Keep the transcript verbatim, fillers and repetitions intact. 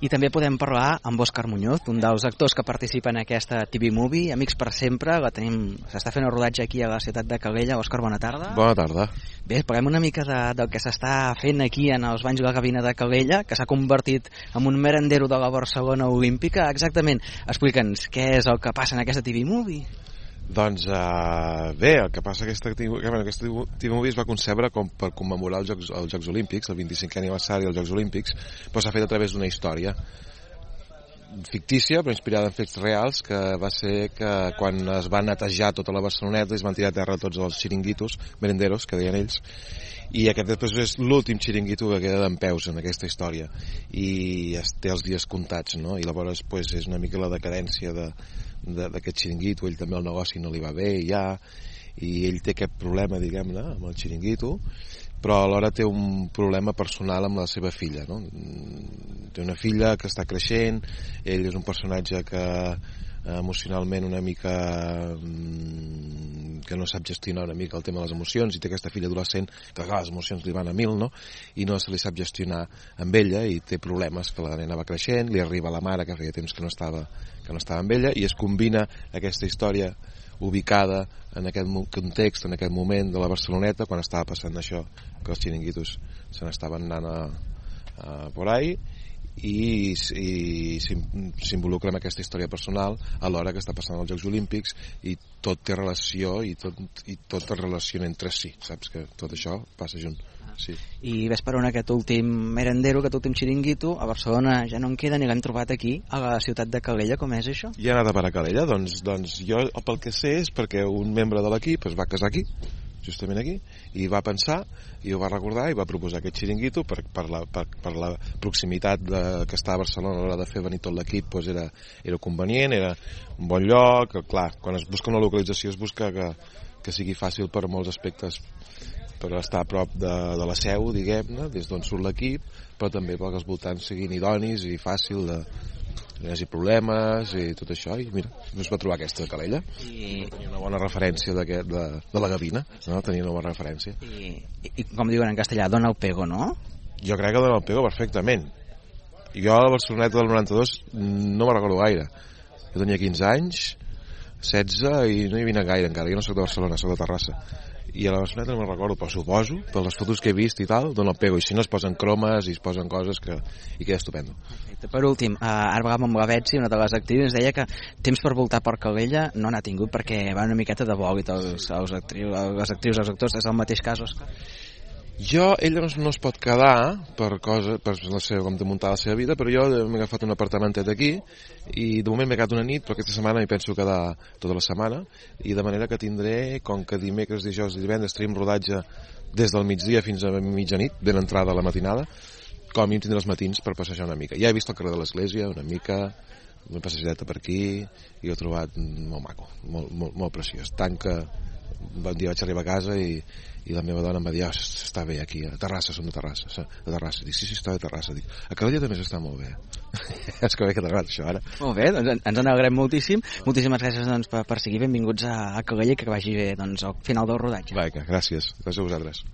I també podem parlar amb Òscar Muñoz, un dels actors que participa en aquesta T V Movie, Amics per sempre. La tenim, s'està fent el rodatge aquí a la ciutat de Calella. Òscar, bona tarda. Bona tarda. Bé, parlem una mica de, del que s'està fent aquí en els banys de la Gavina de Calella, que s'ha convertit en un merendero de la Barcelona Olímpica. Exactament, explica'ns què és el que passa en aquesta T V Movie. Doncs uh, bé, el que passa aquesta, aquesta T V Movie es va concebre com per commemorar els Jocs, els Jocs Olímpics, el vint-i-cinquè aniversari dels Jocs Olímpics, però s'ha fet a través d'una història fictícia però inspirada en fets reals, que va ser que quan es va netejar tota la Barceloneta es van tirar a terra tots els xiringuitos, merenderos, que deien ells, i aquest després és l'últim xiringuito que queda dempeus en aquesta història i es té els dies comptats, no? I llavors pues, és una mica la decadència de d'aquest xiringuito. Ell també el negoci no li va bé ja, i ell té aquest problema, diguem-ne, amb el xiringuito, però alhora té un problema personal amb la seva filla, no? Té una filla que està creixent, ell és un personatge que emocionalment una mica que no sap gestionar una mica el tema de les emocions, i té aquesta filla adolescent que clar, les emocions li van a mil, no? I no se li sap gestionar amb ella i té problemes, que la nena va creixent, li arriba la mare que feia temps que no estava que no estava amb ella, i es combina aquesta història ubicada en aquest context, en aquest moment de la Barceloneta, quan estava passant això, que els xiringuitos se n'estaven anant a, a por ahí, i, i s'involucra en aquesta història personal alhora que està passant als Jocs Olímpics, i tot té relació i tot, i tot es relaciona entre si, saps que tot això passa junt. Sí. I ves per on aquest últim merendero, aquest últim xiringuito a Barcelona ja no en queda, ni l'hem trobat aquí a la ciutat de Calella. Com és això? I ha anat a parar a Calella? Doncs, doncs jo pel que sé és perquè un membre de l'equip es va casar aquí, justament aquí, i va pensar i ho va recordar i va proposar aquest xiringuito per, per, la, per, per la proximitat de, que està a Barcelona a l'hora de fer venir tot l'equip, doncs era, era convenient, era un bon lloc. Clar, quan es busca una localització es busca que, que sigui fàcil per molts aspectes, per estar a prop de, de la seu, diguem-ne, des d'on surt l'equip, però també perquè els voltants siguin idonis i fàcil de no hi hagi problemes i tot això, i mira, es va trobar aquesta de Calella. I tenia una bona referència de, de, de la Gavina, no? Tenia una bona referència. I, i, i com diuen en castellà, dona el pego, no? Jo crec que dona el pego perfectament. Jo a la Barceloneta del noranta-dos no me'n recordo gaire. Jo tenia quinze anys, setze, i no hi vine gaire encara. Jo no soc de Barcelona, soc de Terrassa. I a la Barceloneta no me'n recordo, però suposo, per les fotos que he vist i tal, dona el pego. I si no es posen cromes i es posen coses que i queda estupendo. Perfecte. Per últim, eh, ara parlàvem amb la Betsy, una de les actrius, ens deia que temps per voltar per Calella no n'ha tingut perquè va una miqueta de bòlit els, els actrius, les actrius, els actors. És el mateix cas, Òscar? Jo, ella no, no es pot quedar per cosa, per la seva, com de muntar la seva vida, però jo m'he agafat un apartamentet aquí i de moment m'he quedat una nit, però aquesta setmana m'hi penso quedar tota la setmana, i de manera que tindré, com que dimecres, dijous i divendres tenim rodatge des del migdia fins a mitjanit, ben entrada a la matinada, com a mínim tindré els matins per passejar una mica. Ja he vist el carrer de l'església una mica, una passejadeta per aquí, i ho he trobat molt maco, molt, molt, molt preciós. Tant que un dia vaig arribar a casa i, i la meva dona em va dir, oh, està bé aquí, a Terrassa, som de Terrassa, de Terrassa. Dic, sí, sí, està de Terrassa. Dic, a Calella també s'està molt bé. És que bé que t'agrada això, ara. Molt bé, doncs ens en alegrem moltíssim. Moltíssimes gràcies doncs, per, per seguir. Benvinguts a, a Calella i que vagi bé doncs, al final del rodatge. Va, gràcies. Gràcies a vosaltres.